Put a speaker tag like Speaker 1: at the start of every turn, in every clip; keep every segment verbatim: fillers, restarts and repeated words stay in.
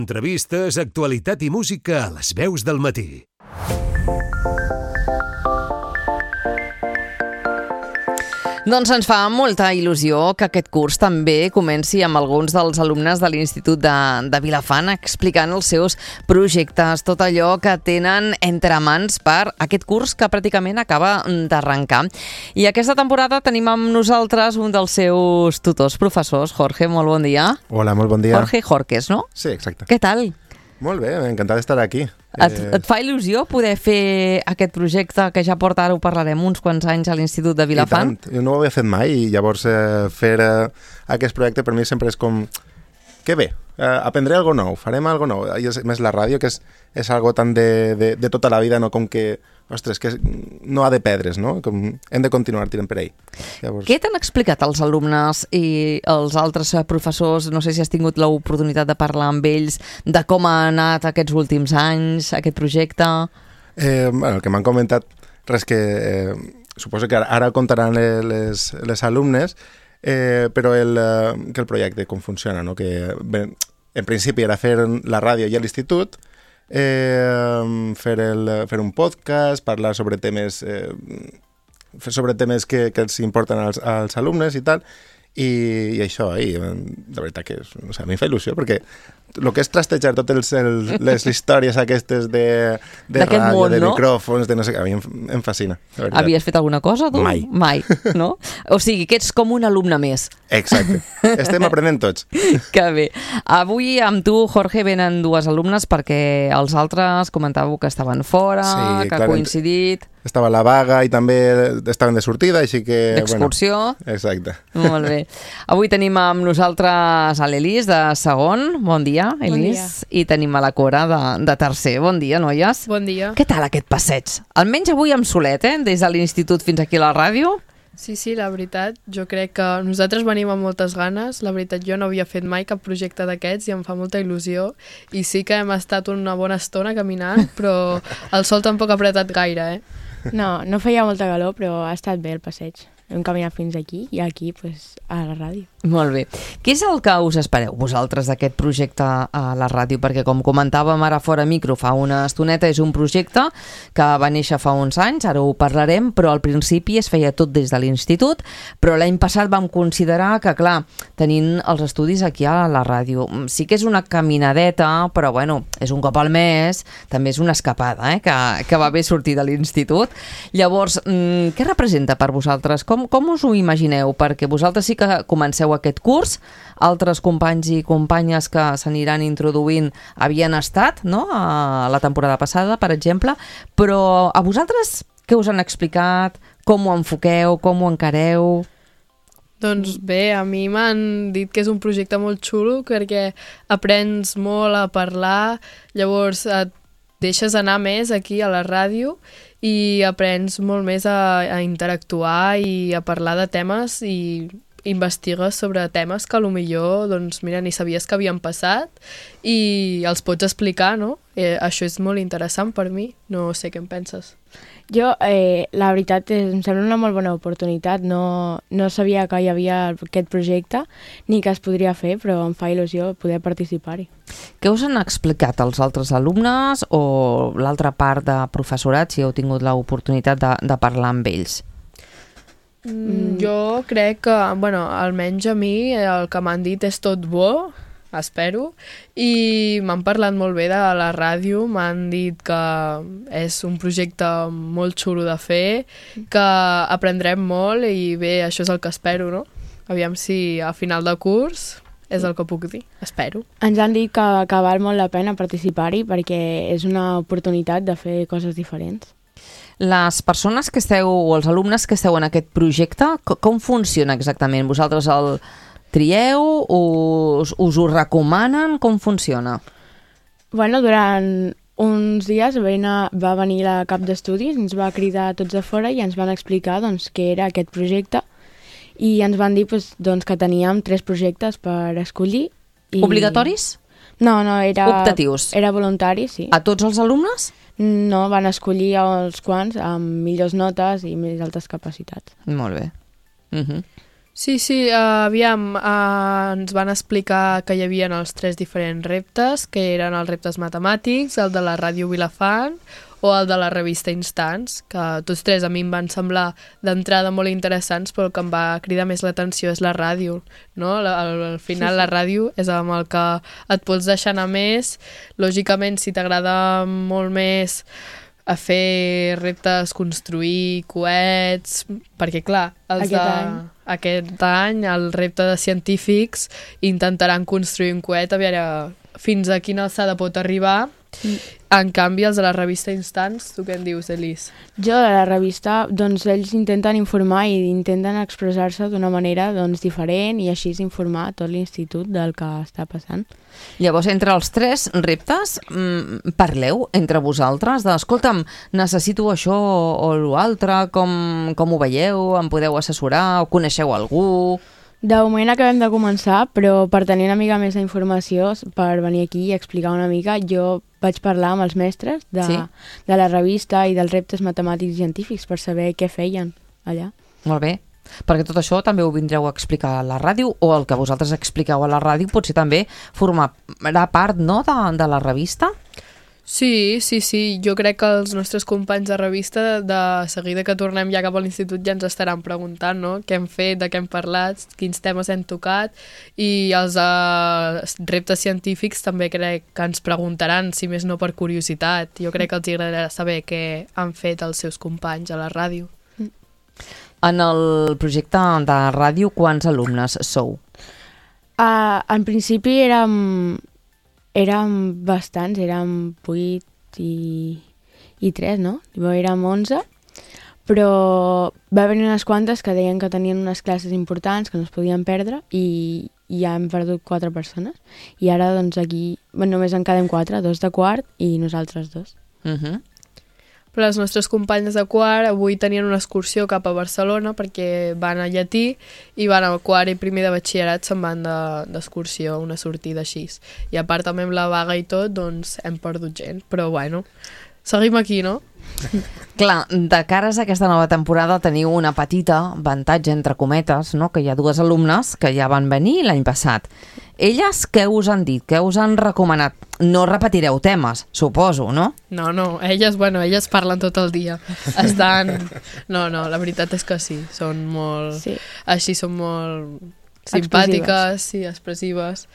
Speaker 1: Entrevistes, actualitat i música a les veus del matí.
Speaker 2: Doncs ens fa molta il·lusió que aquest curs també comenci amb alguns dels alumnes de l'Institut de, de Vilafant explicant els seus projectes, tot allò que tenen entre mans per aquest curs que pràcticament acaba d'arrencar. I aquesta temporada tenim amb nosaltres un dels seus tutors professors. Jorge, molt bon dia.
Speaker 3: Hola, molt bon dia.
Speaker 2: Jorge Jorques, no?
Speaker 3: Sí, exacte.
Speaker 2: Què tal?
Speaker 3: Molt bé, encantat d'estar aquí.
Speaker 2: Et, et fa il·lusió poder fer aquest projecte que ja porta, ara ho parlarem, uns quants anys a l'Institut de Vilafant?
Speaker 3: I tant, jo no ho havia fet mai i llavors eh, fer eh, aquest projecte per mi sempre és com, que bé, eh, aprendré algo nou, farem algo nou. I és, més la ràdio, que és, és algo tan de, de, de tota la vida, no com que, ostres, que no ha de perdre's, no? Com hem de continuar tirant per ell. Llavors...
Speaker 2: Què t'han explicat els alumnes i els altres professors? No sé si has tingut l'oportunitat de parlar amb ells de com ha anat aquests últims anys, aquest projecte.
Speaker 3: Eh, bueno, el que m'han comentat, res que... Eh, suposo que ara, ara contaran les, les alumnes, eh, però el, que el projecte com funciona, no? Que bé, en principi era fer la ràdio i l'institut, eh, fer, el, fer un podcast, parlar sobre temes, eh, sobre temes que, que els importen als, als alumnes i tal, i, i això, i, de veritat que és, o sigui, a mi em fa il·lusió, perquè el que és trastejar totes els, les històries aquestes de, de ràdio,
Speaker 2: món,
Speaker 3: de
Speaker 2: no?
Speaker 3: micròfons, de no sé què, a mi em, em fascina.
Speaker 2: Havies fet alguna cosa, tu?
Speaker 3: Mai.
Speaker 2: Mai, no? O sigui, que ets com un alumne més.
Speaker 3: Exacte. Estem aprenent tots.
Speaker 2: Que bé. Avui amb tu, Jorge, venen dues alumnes perquè els altres comentàveu que estaven fora,
Speaker 3: Sí,
Speaker 2: que
Speaker 3: clar,
Speaker 2: ha coincidit...
Speaker 3: Estava a la vaga i també estaven de sortida, així que...
Speaker 2: D'excursió.
Speaker 3: Bueno, exacte.
Speaker 2: Molt bé. Avui tenim amb nosaltres a l'Elis de segon. Bon dia, Elis.
Speaker 4: Bon dia.
Speaker 2: I tenim a la Cora de, de tercer. Bon dia, noies.
Speaker 4: Bon dia.
Speaker 2: Què tal aquest passeig? Almenys avui amb solet, eh? Des de l'institut fins aquí a la ràdio.
Speaker 4: Sí, sí, la veritat, jo crec que nosaltres venim amb moltes ganes. La veritat, jo no havia fet mai cap projecte d'aquests i em fa molta il·lusió. I sí que hem estat una bona estona caminant, però el sol tampoc ha apretat gaire, eh?
Speaker 5: No, no feia molta calor, però ha estat bé el passeig. Hem caminat fins aquí i aquí, pues, a la ràdio.
Speaker 2: Molt bé. Què és el que us espereu vosaltres d'aquest projecte a la ràdio? Perquè com comentàvem ara fora micro fa una estoneta, és un projecte que va néixer fa uns anys, ara ho parlarem, però al principi es feia tot des de l'institut, però l'any passat vam considerar que, clar, tenint els estudis aquí a la ràdio, sí que és una caminadeta, però bueno, és un cop al mes, també és una escapada, eh? que, que va bé sortir de l'institut. Llavors, què representa per vosaltres? Com, com us ho imagineu? Perquè vosaltres sí que comenceu aquest curs, altres companys i companyes que s'aniran introduint havien estat, no?, a la temporada passada, per exemple, però a vosaltres què us han explicat? Com ho enfoqueu? Com ho encareu?
Speaker 4: Doncs bé, a mi m'han dit que és un projecte molt xulo perquè aprens molt a parlar, llavors et deixes anar més aquí a la ràdio i aprens molt més a, a interactuar i a parlar de temes i investigues sobre temes que potser, doncs mira, ni sabies que havien passat i els pots explicar, no? Eh, això és molt interessant per mi, no sé què en penses.
Speaker 5: Jo, eh, la veritat, és, em sembla una molt bona oportunitat. No, no sabia que hi havia aquest projecte ni que es podria fer, però em fa il·lusió poder participar-hi.
Speaker 2: Què us han explicat els altres alumnes o l'altra part de professorat, si heu tingut l'oportunitat de, de parlar amb ells?
Speaker 4: Mm. Jo crec que, bueno, almenys a mi el que m'han dit és tot bo, espero, i m'han parlat molt bé de la ràdio, m'han dit que és un projecte molt xulo de fer, que aprendrem molt i bé, això és el que espero, no? Aviam si a final de curs és el que puc dir, espero.
Speaker 5: Ens han dit que, que val molt la pena participar-hi perquè és una oportunitat de fer coses diferents.
Speaker 2: Les persones que esteu, o els alumnes que esteu en aquest projecte, com funciona exactament? Vosaltres el trieu? Us, us ho recomanen? Com funciona?
Speaker 5: Bueno, durant uns dies va venir, va venir la cap d'estudis, ens va cridar a tots de fora i ens van explicar doncs, què era aquest projecte i ens van dir doncs, doncs, que teníem tres projectes per escollir. I...
Speaker 2: Obligatoris?
Speaker 5: No, no, era...
Speaker 2: Optatius?
Speaker 5: Era voluntari, sí.
Speaker 2: A tots els alumnes?
Speaker 5: No, van escollir els quants amb millors notes i més altes capacitats.
Speaker 2: Molt bé. Uh-huh.
Speaker 4: Sí, sí, uh, aviam, uh, ens van explicar que hi havia els tres diferents reptes, que eren els reptes matemàtics, el de la Ràdio Vilafant o el de la revista Instants, que tots tres a mi em van semblar d'entrada molt interessants, però el que em va cridar més l'atenció és la ràdio, no? Al, al final sí, sí. La ràdio és amb el que et pots deixar anar més. Lògicament, si t'agrada molt més a fer reptes, construir coets, perquè clar, els
Speaker 5: aquest,
Speaker 4: de,
Speaker 5: any.
Speaker 4: aquest any el repte de científics intentaran construir un coet a veure fins a quina alçada pot arribar. Mm. En canvi, els de la revista Instants, tu què en dius, Elis?
Speaker 5: Jo, de la revista, doncs ells intenten informar i intenten expressar-se d'una manera doncs, diferent i així informar tot l'institut del que està passant.
Speaker 2: Llavors, entre els tres reptes, mmm, parleu entre vosaltres de, escolta'm, necessito això o l'altre, com, com ho veieu, em podeu assessorar o coneixeu algú?
Speaker 5: De moment acabem de començar, però per tenir una mica més d'informació, per venir aquí i explicar una mica, jo vaig parlar amb els mestres de, sí? de la revista i dels reptes matemàtics i científics per saber què feien allà.
Speaker 2: Molt bé, perquè tot això també ho vindreu a explicar a la ràdio, o el que vosaltres expliqueu a la ràdio potser també formarà part, no, de, de la revista?
Speaker 4: Sí, sí, sí. Jo crec que els nostres companys de revista, de seguida que tornem ja cap a l'institut, ja ens estaran preguntant, no?, què hem fet, de què hem parlat, quins temes hem tocat, i els uh, reptes científics també crec que ens preguntaran, si més no per curiositat. Jo crec que els agradarà saber què han fet els seus companys a la ràdio.
Speaker 2: En el projecte de ràdio, quants alumnes sou?
Speaker 5: Uh, en principi érem... Érem bastants, érem vuit i, i tres, no? Érem onze, però va haver unes quantes que deien que tenien unes classes importants que no es podien perdre i, i ja hem perdut quatre persones. I ara, doncs, aquí bueno, només en quedem quatre, dos de quart i nosaltres dos.
Speaker 2: Uh -huh.
Speaker 4: Però les nostres companyes de quart avui tenien una excursió cap a Barcelona perquè van a llatí i van a quart i primer de batxillerat se'n van d'excursió, de, una sortida així. I a part també amb la vaga i tot, doncs hem perdut gent. Però bueno, seguim aquí, no?
Speaker 2: Clar, de cares a aquesta nova temporada teniu una petita avantatge, entre cometes, no? Que hi ha dues alumnes que ja van venir l'any passat. Elles què us han dit? Què us han recomanat? No repetireu temes, suposo, no?
Speaker 4: No, no, elles, bueno, elles parlen tot el dia. Estan... No, no, la veritat és que sí, són molt...
Speaker 5: Sí.
Speaker 4: Així són molt simpàtiques, sí, expressives.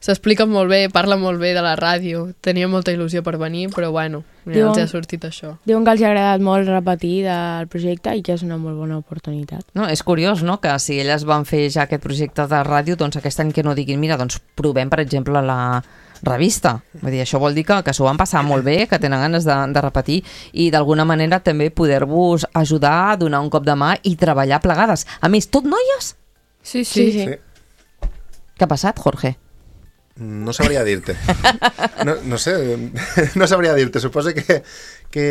Speaker 4: S'expliquen molt bé, parlen molt bé de la ràdio. Tenia molta il·lusió per venir, però bueno, mira,
Speaker 5: diuen,
Speaker 4: els ha sortit això.
Speaker 5: Diuen que els ha agradat molt repetir del projecte i que és una molt bona oportunitat.
Speaker 2: No, és curiós, no?, que si elles van fer ja aquest projecte de ràdio, doncs aquest any que no diguin, mira, doncs provem, per exemple, la revista. Vull dir, això vol dir que, que s'ho van passar molt bé, que tenen ganes de, de repetir i d'alguna manera també poder-vos ajudar, a donar un cop de mà i treballar plegades. A més, tot noies?
Speaker 4: Sí, sí.
Speaker 5: sí, sí.
Speaker 3: Sí.
Speaker 2: Què ha passat, Jorge?
Speaker 3: No sabria dir-te. No, no sé, no sabria dir-te. Suposo que, que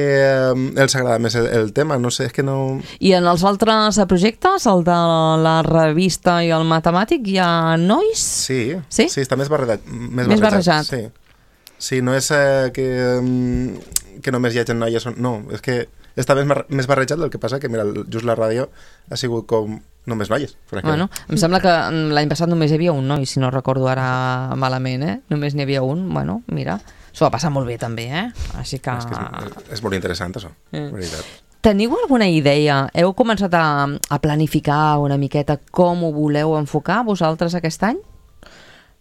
Speaker 3: um, els agrada més el, el tema, no sé, és que no...
Speaker 2: I en els altres projectes, el de la revista i el matemàtic, hi ha nois?
Speaker 3: Sí,
Speaker 2: sí,
Speaker 3: sí està més barrejat. Més,
Speaker 2: més
Speaker 3: barrejat.
Speaker 2: barrejat.
Speaker 3: Sí. Sí, no és eh, que, um, que només hi hagi noies. No, és que està més, més barrejat, el que passa que, mira, just la ràdio ha sigut com només noies.
Speaker 2: Bueno, em sembla que l'any passat només hi havia un noi, si no recordo ara malament, eh? Només n'hi havia un, bueno, mira, s'ho va passar molt bé també, eh? Així que...
Speaker 3: És, que és, és molt interessant, això,
Speaker 2: eh.
Speaker 3: veritat.
Speaker 2: Teniu alguna idea? Heu començat a, a planificar una miqueta com ho voleu enfocar vosaltres aquest any?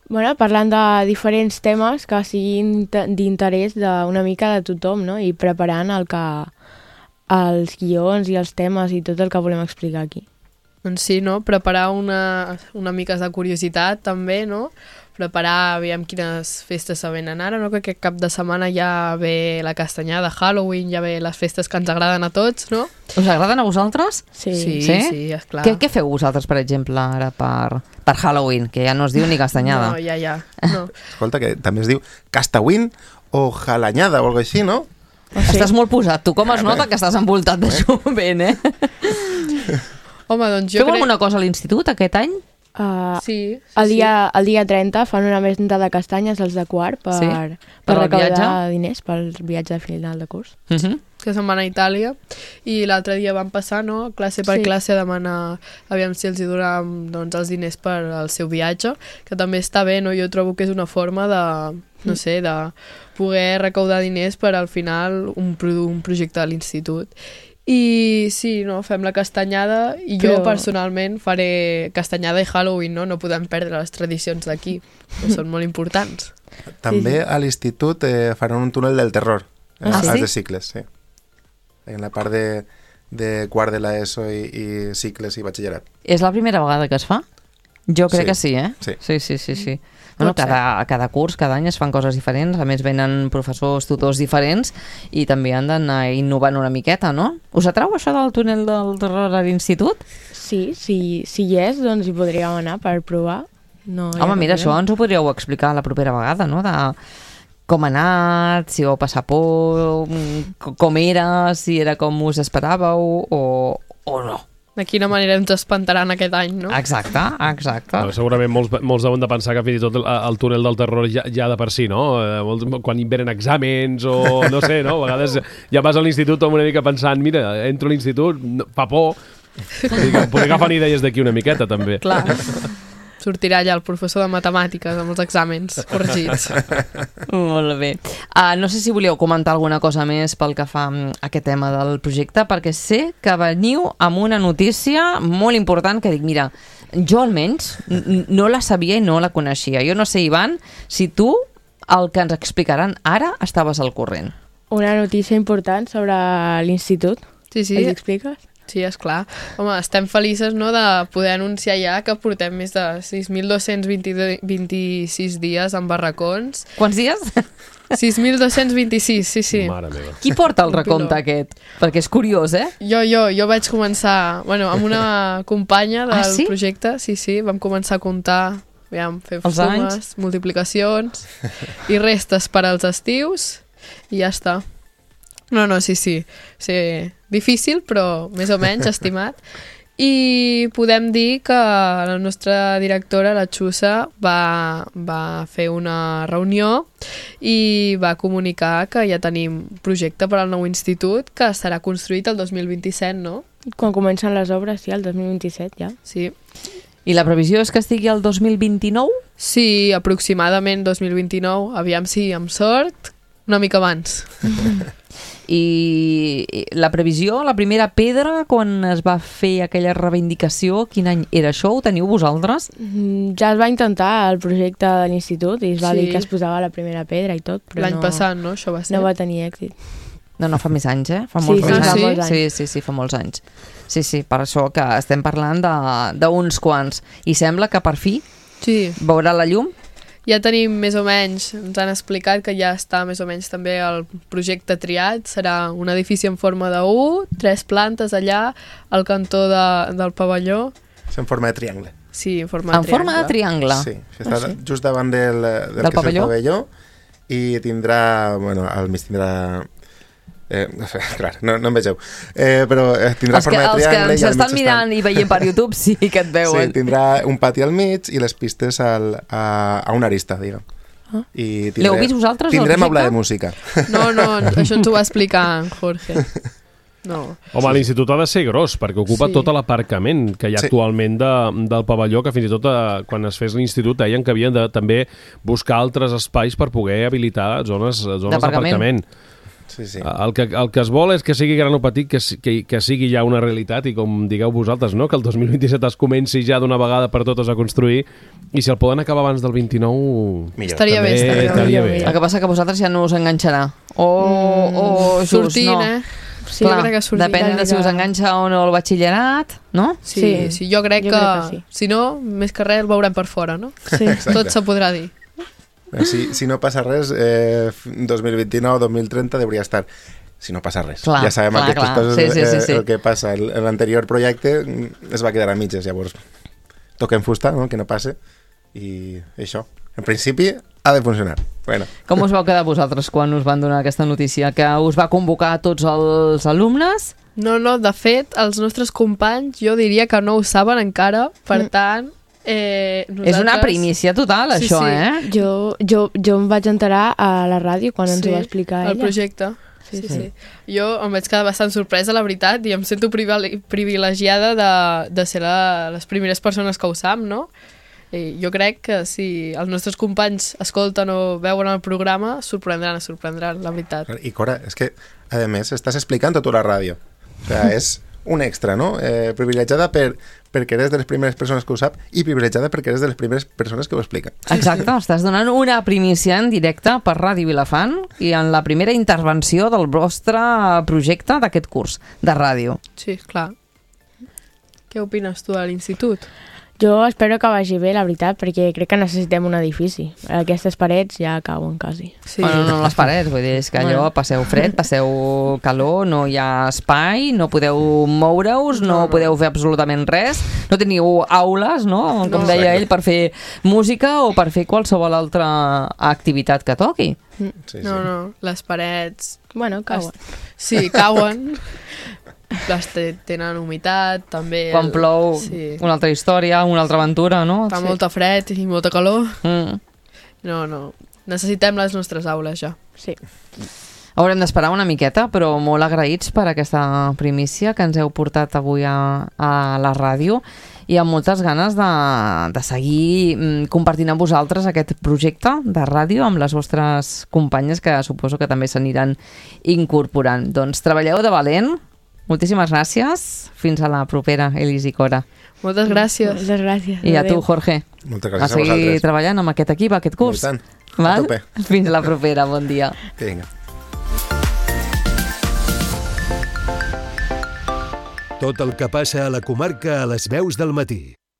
Speaker 5: Bueno, parlant de diferents temes que siguin d'interès d'una mica de tothom, no? I preparant el que, els guions i els temes i tot el que volem explicar aquí.
Speaker 4: Doncs sí, no? Preparar una, una mica de curiositat també, no? Preparar, aviam quines festes se venen ara, no? Que aquest cap de setmana ja ve la castanyada, Halloween, ja ve les festes que ens agraden a tots, no?
Speaker 2: Us agraden a vosaltres?
Speaker 5: Sí,
Speaker 4: sí,
Speaker 2: sí,
Speaker 4: sí esclar.
Speaker 2: Què, què feu vosaltres, per exemple, ara per, per Halloween, que ja no es diu ni castanyada?
Speaker 4: No, ja, ja. No.
Speaker 3: Escolta, que també es diu castawin o jalanyada o alguna cosa així, no?
Speaker 2: Oh, sí. Estàs molt posat. Tu com es nota que estàs envoltat de jovent, eh?
Speaker 4: Home, doncs jo
Speaker 2: Feu
Speaker 4: crec...
Speaker 2: alguna cosa a l'institut aquest any?
Speaker 5: Uh,
Speaker 4: sí, sí,
Speaker 5: el, dia,
Speaker 4: sí.
Speaker 5: el dia trenta fan una venda de castanyes als de quart per,
Speaker 2: sí?
Speaker 5: per,
Speaker 2: per
Speaker 5: recaudar
Speaker 2: viatge?
Speaker 5: diners pel viatge de final de curs.
Speaker 2: Uh -huh.
Speaker 4: que se'n van a Itàlia, i l'altre dia van passar, no?, classe per
Speaker 5: Sí.
Speaker 4: classe a demanar aviam si els hi donàvem, doncs, els diners per al seu viatge, que també està bé, no? Jo trobo que és una forma de, no sé, de poder recaudar diners per al final un, pro un projecte de l'institut. I sí, no, fem la castanyada i jo
Speaker 5: Però-
Speaker 4: personalment faré castanyada i Halloween, no? No podem perdre les tradicions d'aquí, que són molt importants.
Speaker 3: També a l'institut eh, faran un túnel del terror, eh,
Speaker 2: Ah,
Speaker 3: als
Speaker 2: sí?
Speaker 3: de cicles, sí. En la part de, de quart de l'ESO i, i cicles i batxillerat.
Speaker 2: És la primera vegada que es fa? Jo crec
Speaker 3: Sí.
Speaker 2: que sí, eh?
Speaker 3: Sí.
Speaker 2: Sí, sí, sí. sí. Bueno,
Speaker 4: Pot ser.
Speaker 2: cada, cada curs, cada any es fan coses diferents, a més venen professors, tutors diferents i també han d'anar innovant una miqueta, no? Us atrau això del túnel del terror a l'institut?
Speaker 5: Sí, si, si hi és, doncs hi podríem anar per provar. No, hi ha
Speaker 2: Home, mira,
Speaker 5: cap
Speaker 2: això
Speaker 5: problema.
Speaker 2: ens ho podríeu explicar la propera vegada, no? De com ha anat, si vau passar por, mm, com era, si era com us esperàveu o, o no.
Speaker 4: De quina manera ens espantaran aquest any, no?
Speaker 2: Exacte, exacte.
Speaker 6: No, segurament molts, molts deuen de pensar que fins i tot el, el túnel del terror ja, ja de per si, no? Eh, molts, quan hi venen exàmens o no sé, no? A vegades ja vas a l'institut amb una mica pensant, mira, entro a l'institut, no, fa por. Vull dir que poder agafar idees d'aquí una miqueta, també.
Speaker 4: Clar. Sortirà allà el professor de matemàtiques amb els exàmens corregits.
Speaker 2: Molt bé. Uh, no sé si volíeu comentar alguna cosa més pel que fa a aquest tema del projecte, perquè sé que veniu amb una notícia molt important que dic, mira, jo almenys n- no la sabia i no la coneixia. Jo no sé, Ivan, si tu el que ens explicaran ara estaves al corrent.
Speaker 5: Una notícia important sobre l'institut.
Speaker 4: Sí, sí.
Speaker 5: Ens expliques?
Speaker 4: Sí, esclar. Home, estem feliços, no?, de poder anunciar ja que portem més de sis mil dos-cents vint-i-sis dies en barracons.
Speaker 2: Quants dies?
Speaker 4: sis mil dos-cents vint-i-sis, sí, sí.
Speaker 6: Mare meva.
Speaker 2: Qui porta el
Speaker 4: Un
Speaker 2: recompte
Speaker 4: piló.
Speaker 2: aquest? Perquè és curiós, eh?
Speaker 4: Jo, jo, jo vaig començar, bueno, amb una companya del
Speaker 2: Ah, sí?
Speaker 4: projecte, sí, sí, vam començar a comptar, aviam, fer
Speaker 2: Els
Speaker 4: sumes,
Speaker 2: anys.
Speaker 4: multiplicacions i restes per als estius i ja està. No, no, sí, sí, sí, difícil, però més o menys estimat. I podem dir que la nostra directora, la Xusa, va, va fer una reunió i va comunicar que ja tenim projecte per al nou institut que serà construït el dos mil vint-i-set, no?
Speaker 5: Quan comencen les obres, sí, el dos mil vint-i-set ja.
Speaker 4: Sí.
Speaker 2: I la previsió és que estigui el dos mil vint-i-nou?
Speaker 4: Sí, aproximadament dos mil vint-i-nou, aviam si amb sort, una mica abans.
Speaker 2: I la previsió, la primera pedra, quan es va fer aquella reivindicació, quin any era això? Ho teniu vosaltres?
Speaker 5: Mm, Ja es va intentar el projecte de l'institut i es va
Speaker 4: Sí.
Speaker 5: dir que es posava la primera pedra i tot, però
Speaker 4: L'any
Speaker 5: no,
Speaker 4: passat, no? Això va ser.
Speaker 5: no va tenir èxit.
Speaker 2: No, no, fa més anys, eh? Fa
Speaker 5: Sí,
Speaker 2: molts
Speaker 5: sí,
Speaker 2: anys.
Speaker 4: fa
Speaker 2: sí?
Speaker 5: molts anys.
Speaker 2: Sí, sí, sí, fa molts anys. Sí, sí, per això que estem parlant de- d'uns quants. I sembla que per fi
Speaker 4: Sí,
Speaker 2: veurà la llum.
Speaker 4: ja tenim més o menys, ens han explicat que ja està més o menys també el projecte triat, serà un edifici en forma de U, tres plantes allà, al cantó de, del pavelló,
Speaker 3: És en forma de triangle.
Speaker 4: sí, en forma
Speaker 2: En
Speaker 4: de
Speaker 2: forma de
Speaker 4: triangle.
Speaker 2: triangle.
Speaker 3: Sí, això està just davant del, del,
Speaker 2: Del
Speaker 3: que és
Speaker 2: pavelló?
Speaker 3: el pavelló i tindrà, bueno, al mig tindrà... Eh, clar, no, no em vegeu. Eh, però eh, tindrà
Speaker 2: Els que,
Speaker 3: forma de
Speaker 2: els que
Speaker 3: triangle
Speaker 2: ens
Speaker 3: i al mig
Speaker 2: estan mirant i veient per YouTube sí que et
Speaker 3: Sí,
Speaker 2: veuen.
Speaker 3: tindrà un pati al mig i les pistes al, a, a una arista, diguem.
Speaker 2: Ah.
Speaker 3: I
Speaker 2: L'heu vist vosaltres, el
Speaker 3: Tindrem aula
Speaker 2: projecte?
Speaker 3: de música.
Speaker 4: No, no, això ens ho va explicar en Jorge. No.
Speaker 6: Home, l'institut ha de ser gros, perquè ocupa
Speaker 4: Sí.
Speaker 6: tot l'aparcament que hi ha
Speaker 3: Sí.
Speaker 6: actualment de, del pavelló, que fins i tot eh, quan es fes l'institut deien que havien de també buscar altres espais per poder habilitar zones, zones
Speaker 2: D'aparcament.
Speaker 6: d'aparcament.
Speaker 3: Sí, sí.
Speaker 6: El que, el que es vol és que sigui gran o petit, que, si- que, que sigui ja una realitat i com digueu vosaltres, no? Que el dos mil vint-i-set es comenci ja d'una vegada per totes a construir i si el poden acabar abans del vint-i-nou...
Speaker 3: Millor.
Speaker 4: Estaria bé,
Speaker 6: també
Speaker 4: estaria bé.
Speaker 6: estaria bé.
Speaker 2: El que passa que a vosaltres ja no us enganxarà. O,
Speaker 5: Mm,
Speaker 2: o just,
Speaker 4: Sortint,
Speaker 2: no.
Speaker 4: eh?
Speaker 5: Sí,
Speaker 4: jo crec que sortint.
Speaker 2: Depèn de si us enganxa o no el batxillerat, no?
Speaker 4: Sí,
Speaker 5: Sí,
Speaker 4: sí, jo crec
Speaker 5: jo
Speaker 4: que,
Speaker 5: crec que sí.
Speaker 4: si no, més que res el veurem per fora, no?
Speaker 5: Sí.
Speaker 4: Tot se podrà dir.
Speaker 3: Si, si no passa res, eh, dos mil vint-i-nou dos mil trenta hauria estar. Si no passa res.
Speaker 2: Clar,
Speaker 3: ja sabem
Speaker 2: clar,
Speaker 3: aquestes
Speaker 2: clar.
Speaker 3: coses,
Speaker 2: Sí, sí, sí,
Speaker 3: eh,
Speaker 2: sí.
Speaker 3: el que passa. El- L'anterior projecte mm, es va quedar a mitges, llavors toquem fusta, no? Que no passe, i això. En principi ha de funcionar. Bueno,
Speaker 2: Com us vau quedar vosaltres quan us van donar aquesta notícia? Que us va convocar a tots els alumnes?
Speaker 4: No, no, de fet, els nostres companys jo diria que no ho saben encara, per
Speaker 5: Mm.
Speaker 4: tant, Eh, nosaltres...
Speaker 2: És una primícia total,
Speaker 4: Sí,
Speaker 2: això,
Speaker 4: sí.
Speaker 2: eh?
Speaker 5: Jo, jo, jo em vaig enterar a la ràdio quan ens
Speaker 4: Sí,
Speaker 5: ho va explicar ella.
Speaker 4: el projecte. Sí, sí, sí. Jo em vaig quedar bastant sorpresa, la veritat, i em sento privile- privilegiada de, de ser la, les primeres persones que ho sap, no? I jo crec que si els nostres companys escolten o veuen el programa, sorprendran, sorprendran, la veritat.
Speaker 3: I Cora, és que, a més, estàs explicant tot a la ràdio. O sea, és un extra, no? Eh, privilegiada per, perquè eres de les primeres persones que ho sap i privilegiada perquè eres de les primeres persones que ho expliquen.
Speaker 2: Exacte, estàs donant una primícia en directe per Ràdio Vilafant i en la primera intervenció del vostre projecte d'aquest curs de ràdio.
Speaker 4: Sí, clar. Què opines tu de l'institut?
Speaker 5: Jo espero que vagi bé, la veritat, perquè crec que necessitem un edifici. Aquestes parets ja cauen quasi.
Speaker 4: Sí.
Speaker 2: Bueno, no les parets, vull dir, és que allò passeu fred, passeu calor, no hi ha espai, no podeu moure-us, no,
Speaker 4: No, no.
Speaker 2: podeu fer absolutament res, no teniu aules, no? Com
Speaker 4: No.
Speaker 2: deia ell, per fer música o per fer qualsevol altra activitat que toqui.
Speaker 3: Sí, sí.
Speaker 4: No, no, les parets...
Speaker 5: Bueno, cauen.
Speaker 4: Sí, cauen. Les te- tenen humitat, també...
Speaker 2: Quan
Speaker 4: el-
Speaker 2: plou,
Speaker 4: Sí.
Speaker 2: una altra història, una altra aventura, no?
Speaker 4: Fa molta fred i molta calor.
Speaker 2: Mm.
Speaker 4: No, no. Necessitem les nostres aules, ja.
Speaker 5: Sí.
Speaker 2: Haurem d'esperar una miqueta, però molt agraïts per aquesta primícia que ens heu portat avui a, a la ràdio i amb moltes ganes de, de seguir mm, compartint amb vosaltres aquest projecte de ràdio amb les vostres companyes que suposo que també s'aniran incorporant. Doncs treballeu de valent, moltíssimes gràcies, fins a la propera, Elis i Cora.
Speaker 4: Moltes gràcies.
Speaker 5: Moltes gràcies.
Speaker 2: I a tu,
Speaker 5: Adéu.
Speaker 2: Jorge,
Speaker 3: Moltes
Speaker 2: a
Speaker 3: gràcies a
Speaker 2: seguir
Speaker 3: vosaltres.
Speaker 2: treballant amb aquest equip, aquest curs.
Speaker 3: I tant. A
Speaker 2: Val?
Speaker 3: tope.
Speaker 2: Fins a la propera, bon dia.
Speaker 3: Vinga.
Speaker 1: Tot el que passa a la comarca a les veus del matí.